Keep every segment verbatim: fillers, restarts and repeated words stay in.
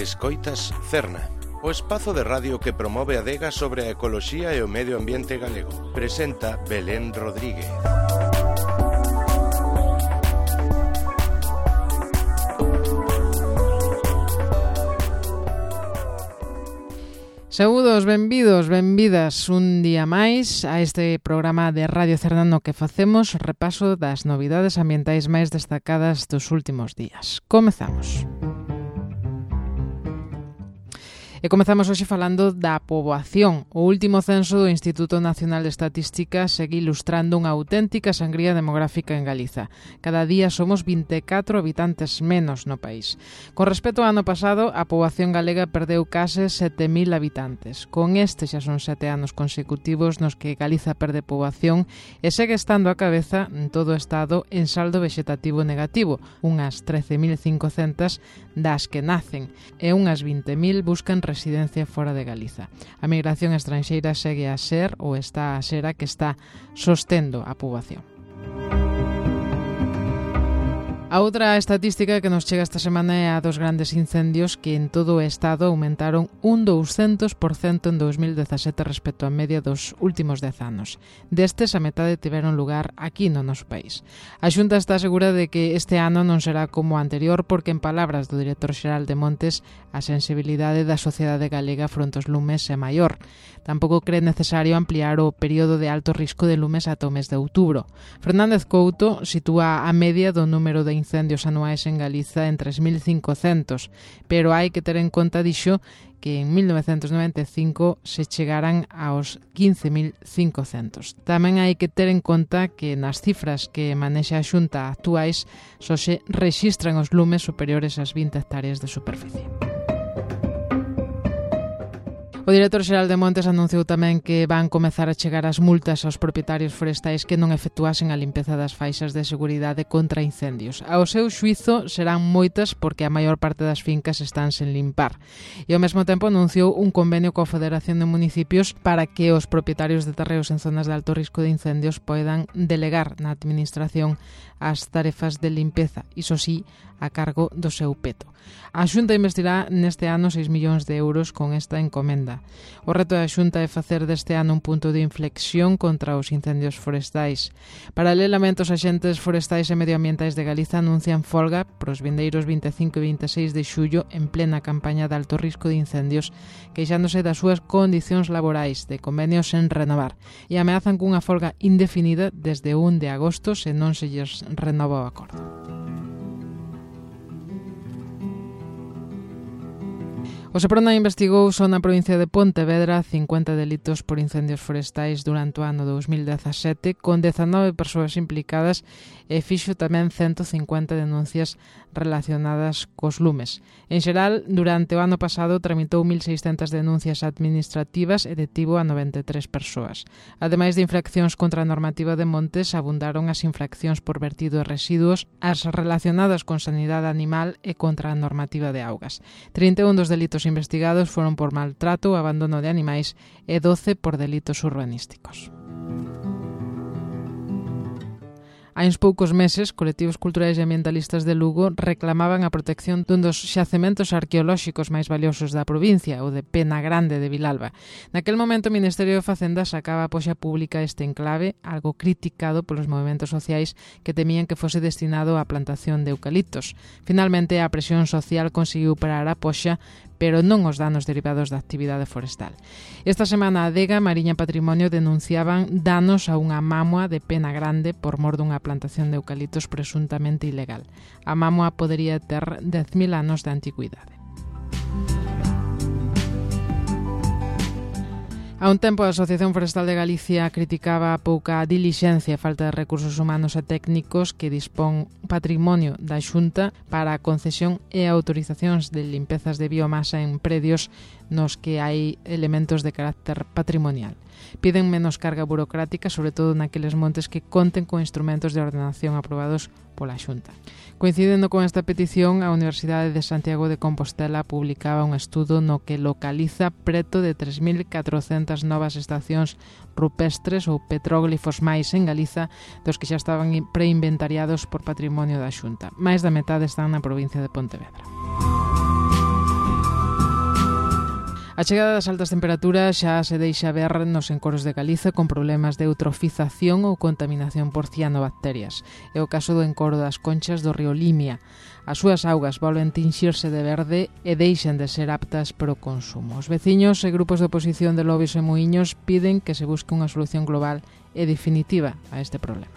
Escoitas Cerna, o espazo de radio que promove a adega sobre a ecoloxía e o medio ambiente galego. Presenta Belén Rodríguez. Saúdos, benvidos, benvidas un día máis a este programa de Radio Cerna no que facemos repaso das novidades ambientais máis destacadas dos últimos días. Comezamos. E comezamos hoxe falando da poboación. O último censo do Instituto Nacional de Estatística segue ilustrando unha auténtica sangría demográfica en Galiza. Cada día somos vinte e catro habitantes menos no país. Con respecto ao ano pasado, a poboación galega perdeu case sete mil habitantes. Con este xa son sete anos consecutivos nos que Galiza perde poboación e segue estando a cabeza en todo o estado en saldo vexetativo negativo, unhas trece mil cincocentas das que nacen e unhas vinte mil buscan residencia fora de Galiza. A migración estranxeira segue a ser ou está a ser a que está sostendo a poboación. A outra estatística que nos chega esta semana é a dos grandes incendios que en todo o estado aumentaron un douscentos por cento en dos mil dezasete respecto á media dos últimos dez anos. Destes, a metade tiveron lugar aquí no noso país. A Xunta está segura de que este ano non será como o anterior porque, en palabras do director xeral de Montes, a sensibilidade da sociedade galega fronte aos lumes é maior. Tampouco cree necesario ampliar o período de alto risco de lumes ata o mes de outubro. Fernández Couto sitúa a media do número de incendios anuais en Galiza en tres mil cincocentos, pero hai que ter en conta, dixo, que en mil novecentos noventa e cinco se chegaran aos quince mil cincocentos. Tamén hai que ter en conta que nas cifras que manexa a Xunta actuais só se rexistran os lumes superiores ás vinte hectáreas de superficie. O director xeral de Montes anunciou tamén que van comezar a chegar as multas aos propietarios forestais que non efectuasen a limpeza das faixas de seguridade contra incendios. Ao seu xuízo serán moitas porque a maior parte das fincas están sen limpar. E ao mesmo tempo anunciou un convenio coa Federación de Municipios para que os propietarios de terreos en zonas de alto risco de incendios poidan delegar na administración as tarefas de limpeza, iso sí, a cargo do seu peto. A Xunta investirá neste ano seis millóns de euros con esta encomenda. O reto da Xunta é facer deste ano un punto de inflexión contra os incendios forestais. Paralelamente, os axentes forestais e medioambientais de Galiza anuncian folga pros vindeiros vinte e cinco e vinte e seis de xullo en plena campaña de alto risco de incendios, queixándose das súas condicións laborais de convenios sen renovar e ameazan cunha folga indefinida desde o un de agosto se non se lles renova o acordo. O Seprona investigou só na provincia de Pontevedra cincuenta delitos por incendios forestais durante o ano dos mil dezasete, con dezanove persoas implicadas e fixo tamén ciento cincuenta denuncias relacionadas cos lumes. En xeral, durante o ano pasado tramitou mil seiscentas denuncias administrativas e detivo a noventa e tres persoas. Ademais de infraccións contra a normativa de Montes, abundaron as infraccións por vertido de residuos, as relacionadas con sanidade animal e contra a normativa de augas. trinta e un dos delitos investigados foron por maltrato ou abandono de animais e doce por delitos urbanísticos. Hai uns poucos meses, colectivos culturais e ambientalistas de Lugo reclamaban a protección dun dos xacementos arqueolóxicos máis valiosos da provincia, o de Pena Grande de Vilalba. Naquel momento, o Ministerio de Facenda sacaba a poxa pública este enclave, algo criticado polos movementos sociais que temían que fose destinado á plantación de eucaliptos. Finalmente, a presión social conseguiu parar a poxa, pero non os danos derivados da actividade forestal. Esta semana, a Adega Mariña Patrimonio denunciaban danos a unha mámoa de Pena Grande por mor dunha plantación de eucaliptos presuntamente ilegal. A mámoa podería ter dez mil anos de antigüidade. A un tempo, a Asociación Forestal de Galicia criticaba a pouca dilixencia e falta de recursos humanos e técnicos que dispón Patrimonio da Xunta para a concesión e autorizacións de limpezas de biomasa en predios nos que hai elementos de carácter patrimonial. Piden menos carga burocrática, sobre todo naqueles montes que conten con instrumentos de ordenación aprobados pola Xunta. Coincidendo con esta petición, a Universidade de Santiago de Compostela publicaba un estudo no que localiza preto de tres mil catrocentas novas estacións rupestres ou petróglifos máis en Galiza dos que xa estaban preinventariados por Patrimonio da Xunta. Mais da metade están na provincia de Pontevedra. A chegada das altas temperaturas xa se deixa ver nos encoros de Galiza con problemas de eutrofización ou contaminación por cianobacterias. É o caso do encoro das Conchas do río Limia. As súas augas volven tinxirse de verde e deixan de ser aptas para o consumo. Os veciños e grupos de oposición de Lobios e Muíños piden que se busque unha solución global e definitiva a este problema.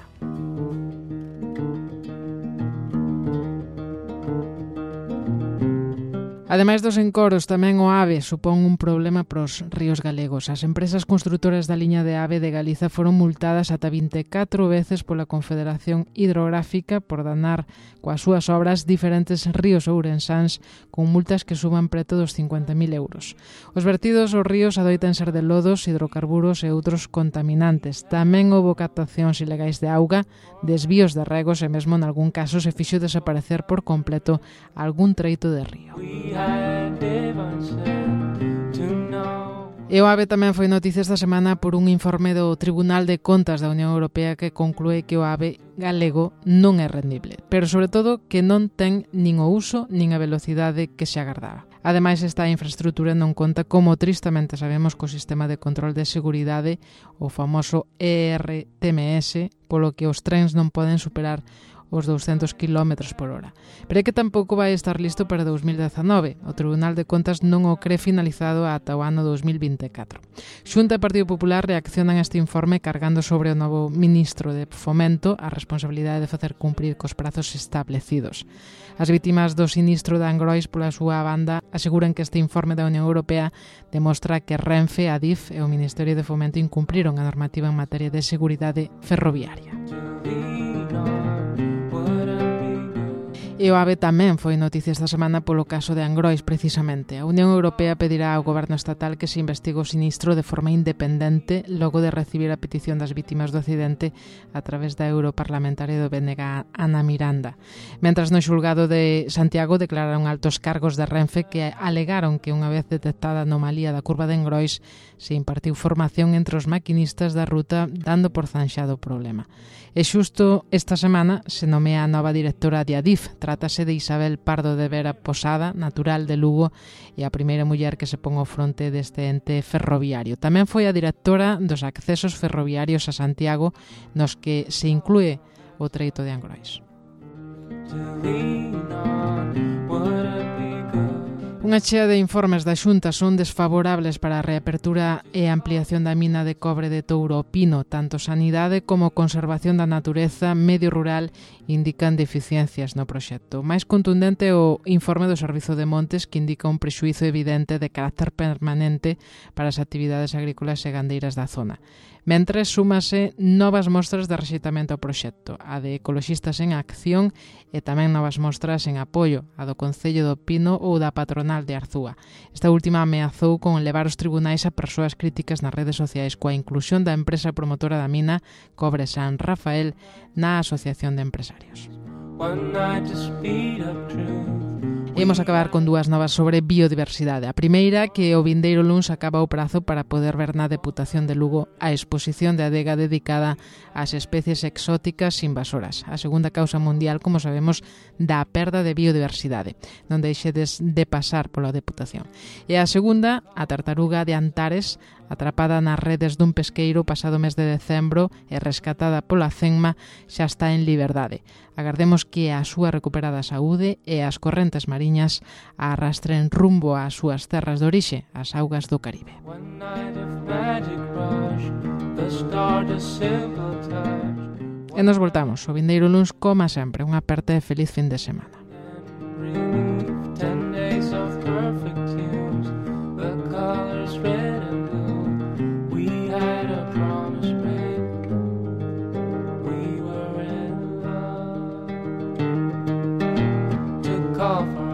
Ademais dos encoros, tamén o AVE supón un problema para os ríos galegos. As empresas construtoras da liña de AVE de Galiza foron multadas ata vinte e catro veces pola Confederación Hidrográfica por danar coas súas obras diferentes ríos ourensáns con multas que suban preto dos cincuenta mil euros. Os vertidos aos ríos adoitan ser de lodos, hidrocarburos e outros contaminantes. Tamén houbo captacións ilegais de auga, desvíos de regos e mesmo en algún caso se fixo desaparecer por completo algún treito de río. E o AVE tamén foi noticia esta semana por un informe do Tribunal de Contas da Unión Europea que conclúe que o AVE galego non é rendible, pero sobre todo que non ten nin o uso nin a velocidade que se agardaba. Ademais, esta infraestrutura non conta, como tristamente sabemos, co sistema de control de seguridade, o famoso E R T M S, polo que os trens non poden superar os douscentos kilómetros por hora. Pero é que tampouco vai estar listo para dous mil dezanove. O Tribunal de Contas non o cree finalizado ata o ano dous mil vinte e catro. Xunta e Partido Popular reaccionan a este informe cargando sobre o novo ministro de Fomento a responsabilidade de facer cumprir cos prazos establecidos. As vítimas do sinistro de Angrois, pola súa banda, aseguran que este informe da Unión Europea demostra que Renfe, Adif e o Ministerio de Fomento incumpriron a normativa en materia de seguridade ferroviaria. E o AVE tamén foi noticia esta semana polo caso de Angrois, precisamente. A Unión Europea pedirá ao goberno estatal que se investigue o sinistro de forma independente logo de recibir a petición das vítimas do accidente a través da europarlamentaria do B N G, Ana Miranda. Mentras no xulgado de Santiago declararon altos cargos de Renfe que alegaron que unha vez detectada a anomalía da curva de Angrois se impartiu formación entre os maquinistas da ruta dando por zanxado o problema. E xusto esta semana se nomea a nova directora de Adif. Trátase de Isabel Pardo de Vera Posada, natural de Lugo, e a primeira muller que se pon ao fronte deste ente ferroviario. Tamén foi a directora dos accesos ferroviarios a Santiago, nos que se inclúe o treito de Angrois. Unha chea de informes da Xunta son desfavorables para a reapertura e ampliación da mina de cobre de Touro Pino. Tanto Sanidade como Conservación da Natureza, Medio Rural indican deficiencias no proxecto. Máis contundente o informe do Servizo de Montes, que indica un prexuízo evidente de carácter permanente para as actividades agrícolas e gandeiras da zona. Mentres, súmase novas mostras de rexeitamento ao proxecto, a de Ecoloxistas en Acción e tamén novas mostras en apoio, a do Concello do Pino ou da Patronal de Arzúa. Esta última ameazou con levar os tribunais a persoas críticas nas redes sociais coa inclusión da empresa promotora da mina Cobre San Rafael na Asociación de Empresarios. Imos acabar con dúas novas sobre biodiversidade. A primeira, que o vindeiro luns acaba o prazo para poder ver na Deputación de Lugo a exposición de adega dedicada ás especies exóticas invasoras. A segunda causa mundial, como sabemos, da perda de biodiversidade. Non deixedes de pasar pola Deputación. E a segunda, a tartaruga de Antares, atrapada nas redes dun pesqueiro pasado mes de decembro e rescatada pola CENMA, xa está en liberdade. Agardemos que a súa recuperada saúde e as correntes mariñas a arrastren rumbo ás súas terras de orixe, as augas do Caribe. E nos voltamos o vindeiro luns, como sempre, unha aperta e feliz fin de semana. Call for